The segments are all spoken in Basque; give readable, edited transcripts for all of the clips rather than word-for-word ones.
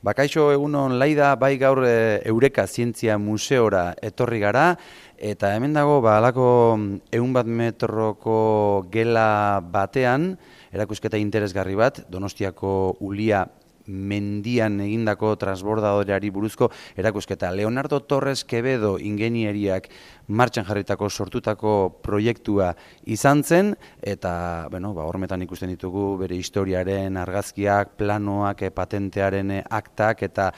Bakaixo egunon Laida, bai gaur Eureka Zientzia Museora etorri gara, eta hemen dago halako 100 metroko gela batean, erakusketa interesgarri bat, Donostiako Ulia mendian egindako transbordadoreari buruzko erakusketa. Leonardo Torres Quevedo ingenieriak martxan jarritako sortutako proiektua izan zen, eta hormetan ikusten ditugu bere historiaren argazkiak, planoak, patentearen aktak, eta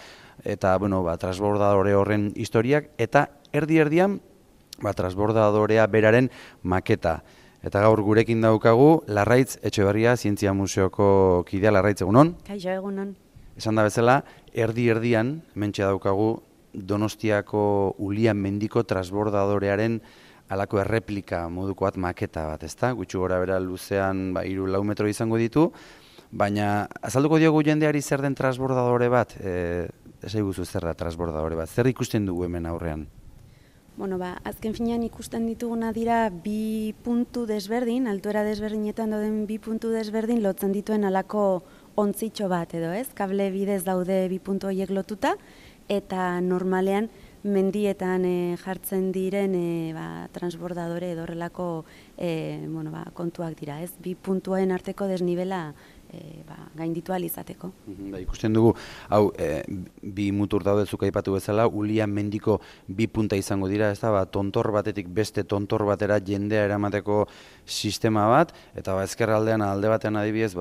transbordadore horren historiak, eta erdi-erdian transbordadorea beraren maketa. Eta gaur gurekin daukagu, Larraitz Etxeberria Zientzia Museoko kidea. Larraitz, egunon? Kaixo, egunon. Esan da bezala, erdi-erdian, hementxe daukagu, Donostiako Ulia mendiko transbordadorearen halako erreplika moduko bat, maketa bat, ezta? Gutxi gora bera luzean 3-4 metro izango ditu, baina azalduko diogu jendeari zer den transbordadore bat, esaiguzu zer da transbordadore bat, zer ikusten dugu hemen aurrean? Azken finean ikusten dituguna dira bi puntu desberdin, altuera desberdinetan dauden bi puntu desberdin lotzen dituen halako ontzitxo bat edo ez, kable bidez daude bi puntu horiek lotuta, eta normalean mendietan jartzen diren transbordadore edo horrelako kontuak dira, ez? Bi puntuen arteko desnibela gainditu ahal izateko. Ikusten dugu, hau, bi mutur daude zuk aipatu bezala, Ulia mendiko bi punta izango dira, ez da, tontor batetik beste tontor batera jendea eramateko sistema bat, eta ezkerraldean alde batean adibidez,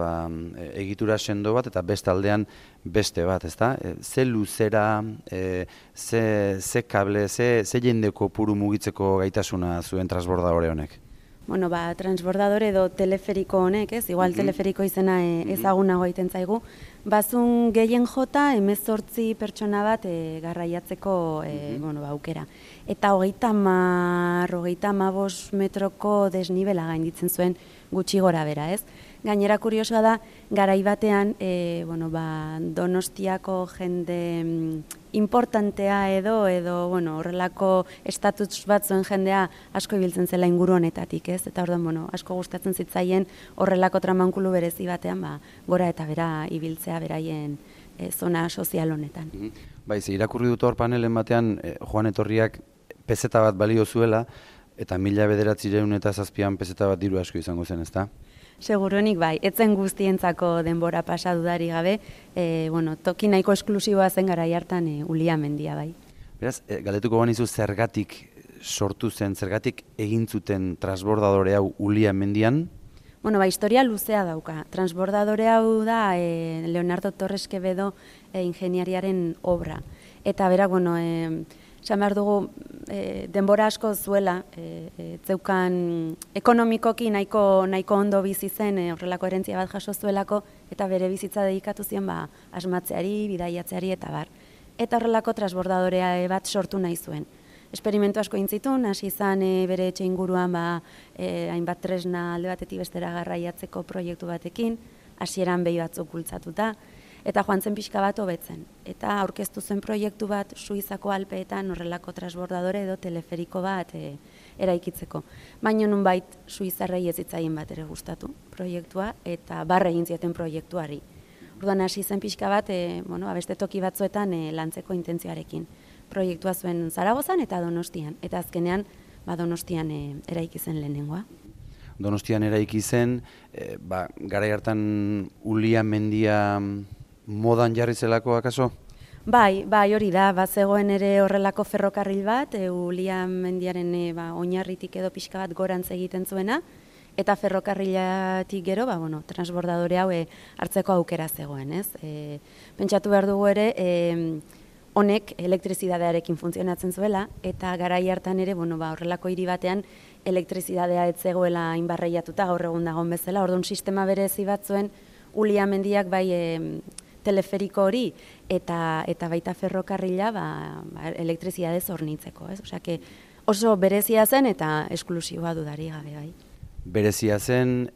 egitura sendo bat, eta beste aldean beste bat, ez da? Ze luzera, ze kable, ze jendeko puru mugitzeko gaitasuna zuen transbordadore honek? Transbordadore edo teleferiko honek, ez? Igual teleferiko izena ezagunago egiten zaigu. Bazun gehien jota 18 pertsona bat garraiatzeko aukera. Eta 30-35 metroko desnibela gainditzen zuen gutxi gora bera, ez? Gainera kuriosoa da, garai batean Donostiako jende importantea edo horrelako estatus bat zuen jendea asko ibiltzen zela inguru honetatik, ez? Eta orduan, asko gustatzen zitzaien horrelako tramankulu berezi batean gora eta bera ibiltzea beraien zona sozial honetan. Irakurri dut hor panelen batean Joan Etorriak pezeta bat balio zuela, eta 1907 pezeta bat diru asko izango zen, ezta? Seguruenik bai, etzen guztientzako denbora pasa dudari gabe, toki nahiko esklusiboa zen garai hartan Ulia mendia bai. Beraz, galdetuko banizu zergatik sortu zen, zergatik egin zuten transbordadore hau Ulia mendian? Historia luzea dauka. Transbordadore hau da Leonardo Torres Quevedo ingeniariaren obra. Eta berak, esan behar dugu, denbora asko zuela, zeukan ekonomikoki nahiko ondo bizi zen, horrelako herentzia bat jaso zuelako, eta bere bizitza dedikatu ziren asmatzeari, bidaiatzeari eta bar. Eta horrelako transbordadorea bat sortu nahi zuen. Esperimentu asko intzitun, hasi izan bere etxe inguruan hainbat tresna alde batetik bestera garraiatzeko proiektu batekin, hasieran behi batzuk bultzatuta, eta joan zen pixka bat hobetzen. Eta aurkeztu zen proiektu bat Suizako Alpeetan horrelako transbordadore edo teleferiko bat eraikitzeko. Baina nunbait Suizarrei ez zitzaien bat ere gustatu proiektua, eta barre egin zieten proiektuari. Orduan hasi zen pixka bat, beste toki batzuetan lantzeko intentzioarekin. Proiektua zuen Zaragozan eta Donostian, eta azkenean Donostian eraiki zen lehenengoa. Donostian eraiki zen, garai hartan Ulia mendia modan jarri zelako akaso? Bai, hori da, zegoen ere horrelako ferrokarril bat, Ulia mendiaren oinarritik edo pixka bat gorantz egiten zuena, eta ferrokarrilatik gero, transbordadore hau hartzeko aukera zegoen, ez? Pentsatu behar dugu ere, honek elektrizidadearekin funtzionatzen zuela, eta garai hartan ere, horrelako hiri batean elektrizidadea ez zegoela inbarreiatuta gaur egun dagoen bezala, orduan sistema berezi bat zuen Ulia mendiak bai teleferiko hori eta baita ferrokarrila elektrizidadez hornitzeko, ez? Osea, oso berezia zen eta esklusiboa dudari gabe bai. Berezia zen,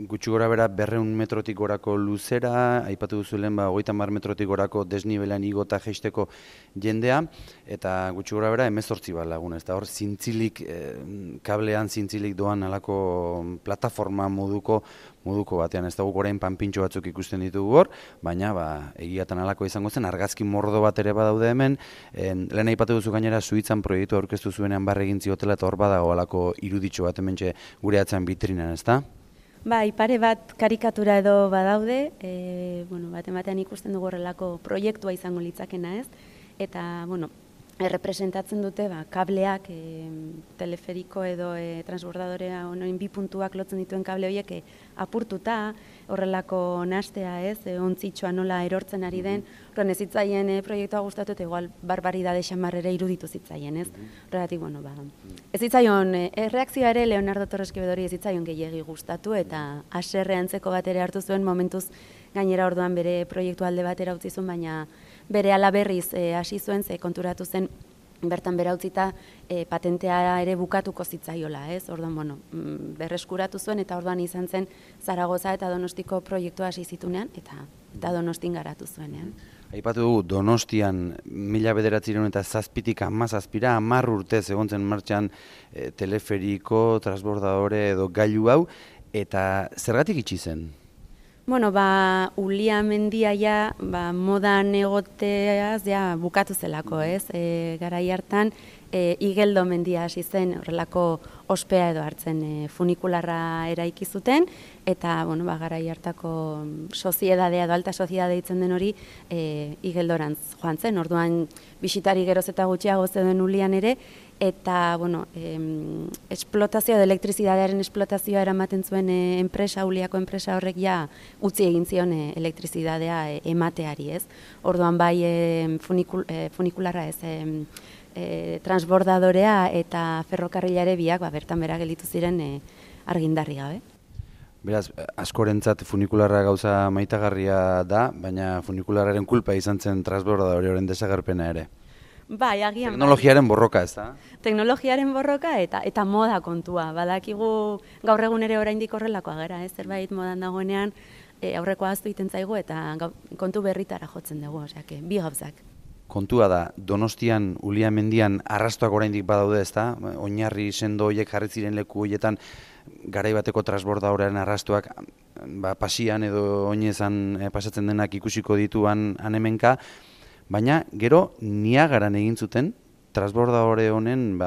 gutxi gora bera 200 metrotik gorako luzera, aipatu duzu lehen 30 metrotik gorako desnibelan igota jeisteko jendea, eta gutxi gora bera 18 bat lagun, ez da hor zintzilik, kablean zintzilik doan alako plataforma moduko moduko batean. Ez dugu orain panpintxo batzuk ikusten ditugu hor, baina egiatan halako izango zen, argazki mordo bat ere badaude hemen, lehen aipatu duzu gainera Suitzan proiektu aurkeztu zuenean barre egin ziotela, eta hor badago halako iruditxo bat hementxe gure atzean bitrinan, ezta? Pare bat karikatura edo badaude, batean ikusten dugu horrelako proiektua izango litzakena, ez? Eta, errepresentatzen dute kableak, teleferiko edo transbordadorea honoin bi puntuak lotzen dituen kable horiek apurtuta, horrelako nastea, ez? Ontzitxoa nola erortzen ari den, horren ez zitzaien proiektua gustatu eta igual barbaridade xamarrere iruditu zitzaien, ez? Horregatik, ez zitzaion, erreakzioa ere Leonardo Torres Quevedori ez zitzaion gehiegi gustatu eta haserre antzeko bat ere hartu zuen momentuz gainera orduan bere proiektu alde batera utzi zuen, baina bere ala berriz hasi zuen, ze konturatu zen bertan bera utzita patentea ere bukatuko zitzaiola, ez? Orduan, berreskuratu zuen eta orduan izan zen Zaragoza eta Donostiko proiektua hasi zitunean eta Donostin garatu zuenean. Aipatu dugu Donostian 1907tik 17 10 urtez egon zen martxan teleferiko, transbordadore edo gailu hau, eta zergatik itxi zen? Ulia mendia modan egoteaz bukatu zelako, ez? Garai hartan, Igeldo mendia hasi zen horrelako ospea edo hartzen funikularra eraiki zuten, eta garai hartako soziedadea edo alta soziedade ditzen den hori Igeldorantz joan zen, orduan bisitari geroz eta gutxiago zeuden Ulian ere, eta esplotazioa edo elektrizidadearen esplotazioa eramaten zuen enpresa, Uliako enpresa horrek utzi egin zion elektrizidadea emateari, ez? Orduan bai funikularra ez, transbordadorea eta ferrokarrilare biak bertan bera gelditu ziren argindarri gabe. Beraz, askorentzat funikularra gauza maitagarria da, baina funikularraren kulpa izan zen transbordadorearen desagerpena ere. Bai, agian. Teknologiaren borroka, ez da? Teknologiaren borroka eta moda kontua. Badakigu gaur egun ere oraindik horrelakoa gara, ez? Zerbait modan dagoenean aurreko ahaztu egiten zaigu eta kontu berritara jotzen dugu, osea, bi gauzak. Kontua da, Donostian, Ulia mendian arrastoak oraindik badaude, ez da? Oinarri sendo horiek jarri ziren leku horietan garai bateko transbordadorearen arrastoak pasian edo oinezan pasatzen denak ikusiko dituan hemenka, baina gero Niagaran egin zuten transbordadore honen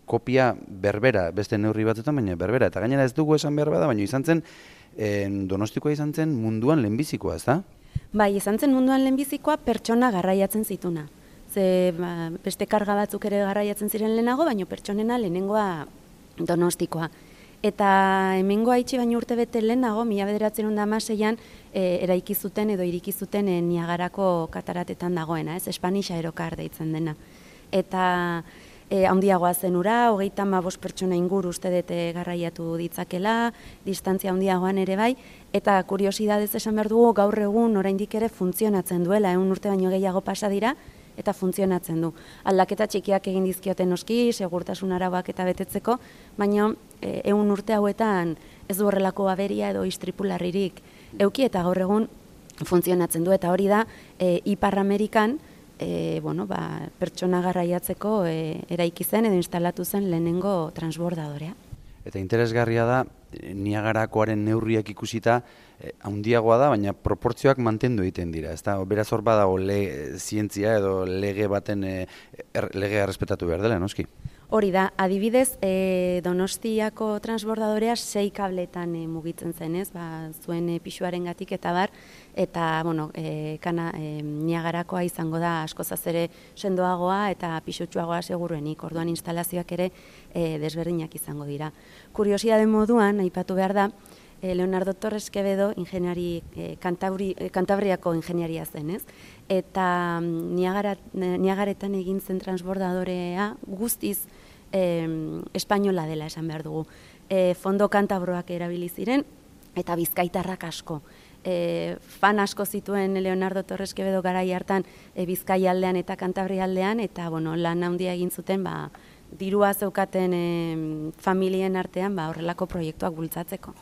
kopia berbera, beste neurri batzuetan, baina berbera. Eta gainera ez dugu esan behar bada, baina izan zen, Donostikoa izan zen munduan lehenbizikoa, ez da? Bai, izan zen munduan lehenbizikoa pertsona garraiatzen zituna. Ze beste karga batzuk ere garraiatzen ziren lehenago, baina pertsonena lehenengoa Donostikoa. Eta hemengoa itxi baino urte bete lehenago, 1916an eraiki zuten edo iriki zuten Niagarako kataratetan dagoena, ez? Spanish Aerocar deitzen dena. Eta handiagoa zen ura, 35 pertsona inguru uste dut garraiatu ditzakela, distantzia handiagoan ere bai, eta kuriosidadez esan behar dugu gaur egun oraindik ere funtzionatzen duela, 100 urte baino gehiago pasa dira, eta funtzionatzen du. Aldaketa txikiak egin dizkioten noski, segurtasun arauak eta betetzeko, baina 100 urte hauetan ez du horrelako aberia edo istripularririk euki eta gaur egun funtzionatzen du, eta hori da Ipar Amerikan pertsona garraiatzeko eraiki zen edo instalatu zen lehenengo transbordadorea. Eta interesgarria da, Niagarakoaren neurriak ikusita handiagoa da, baina proportzioak mantendu egiten dira. Beraz hor badago zientzia edo lege baten legea errespetatu behar dela, noski? Hori da, adibidez, Donostiako transbordadorea 6 kabletan mugitzen zen, ez? Zuen pisuaren gatik eta bar, eta Niagarakoa izango da askozaz ere sendoagoa eta pisutsuagoa seguruenik, orduan instalazioak ere desberdinak izango dira. Kuriosidade moduan, aipatu behar da, Leonardo Torres Quevedo Kantabriako ingeniaria zen, ez? Eta Niagaretan egin zen transbordadorea guztiz espainola dela esan behar dugu. Fondo kantabroak erabili ziren eta bizkaitarrak asko. Fan asko zituen Leonardo Torres Quevedo garai hartan Bizkai aldean eta Kantabri aldean, eta lan handia egin zuten dirua zeukaten familien artean horrelako proiektuak bultzatzeko.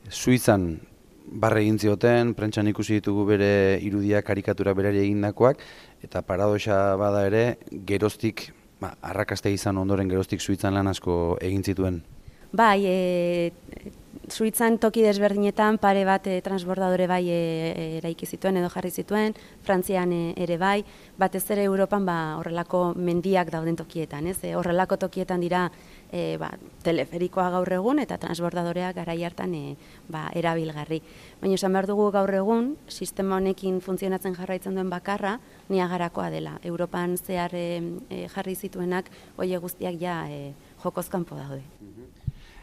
Suitzan barre egin zioten, prentsan ikusi ditugu bere irudiak, karikatura berari egindakoak, eta paradoxa bada ere, geroztik, arrakasta izan ondoren geroztik Suitzan lan asko egin zituen. Bai, Suitzan toki desberdinetan pare bat transbordadore bai eraiki zituen edo jarri zituen, Frantzian ere bai, batez ere Europan horrelako mendiak dauden tokietan, ez? Horrelako tokietan dira teleferikoa gaur egun eta transbordadoreak garai hartan erabilgarri. Baina esan behar dugu gaur egun, sistema honekin funtzionatzen jarraitzen duen bakarra, Niagarakoa dela. Europan zehar jarri zituenak, hori guztiak jokoz kanpo daude.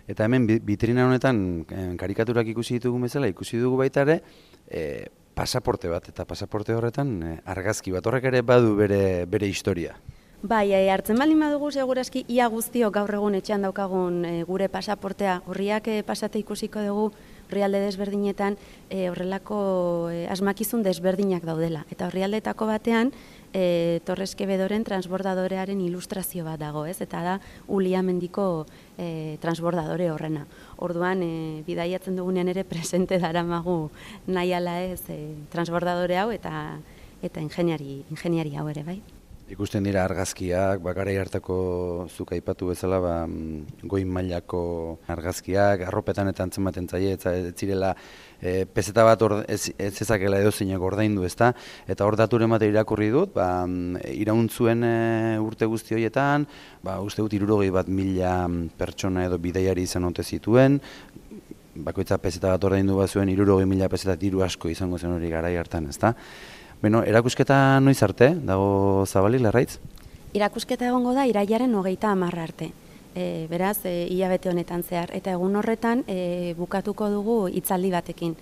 Eta hemen bitrina honetan karikaturak ikusi ditugun bezala, ikusi dugu baita ere, pasaporte bat, eta pasaporte horretan argazki bat, horrek ere badu bere historia. Bai, hartzen baldin badugu segurazki ia guztiok gaur egun etxean daukagun gure pasaportea, horriak pasate ikusiko dugu herrialde desberdinetan horrelako asmakizun desberdinak daudela. Eta herrialdeetako batean Torres Quevedoren transbordadorearen ilustrazio bat dago, ez? Eta da Ulia mendiko transbordadore horrena. Orduan, bidaiatzen dugunean ere presente daramagu nahi ala ez transbordadore hau eta ingeniari hau ere, bai? Ikusten dira argazkiak, garai hartako zuk aipatu bezala, goi mailako argazkiak, arropetan eta antzematen zaie, ez zirela peseta bat ez ezakela edozeinak ordaindu, ezta? Eta hor daturen bat irakurri dut, irauntzuen urte guzti horietan, uste dut 61.000 pertsona edo bidaiari izan ote zituen, bakoitza peseta bat ordaindu bat zuen, 60.000 peseta diru asko izango zen hori garai hartan, ezta? Beno, erakusketa noiz arte, dago zabalik, Larraitz? Erakusketa egongo da irailaren 30 arte. Beraz, hilabete honetan zehar. Eta egun horretan bukatuko dugu hitzaldi batekin.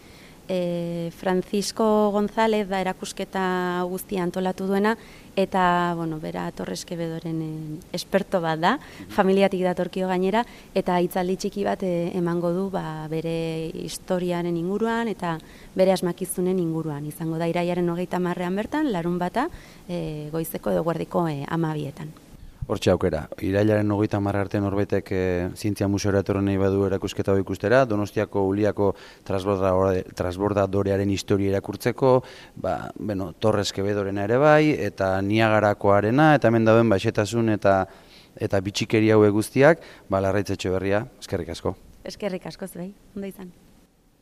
Francisco González da erakusketa guztia antolatu duena, eta, bera Torres Quevedoren esperto bat da, familiatik datorkio gainera, eta hitzaldi txiki bat emango du bere historiaren inguruan eta bere asmakizunen inguruan. Izango da irailaren 30 bertan, larunbata, goizeko edo guardiko 12etan. Hortxe aukera, irailaren 30 arte norbaitek zientzia museora etorri nahi badu erakusketa hau ikustera, Donostiako Uliako transbordadorearen historia irakurtzeko, Torres Quedorena ere bai, eta Niagarakoarena, eta hemen dauden xehetasun eta bitxikeria hauek guztiak, Larraitz Etxeberria, eskerrik asko. Eskerrik asko zuei, ondo izan.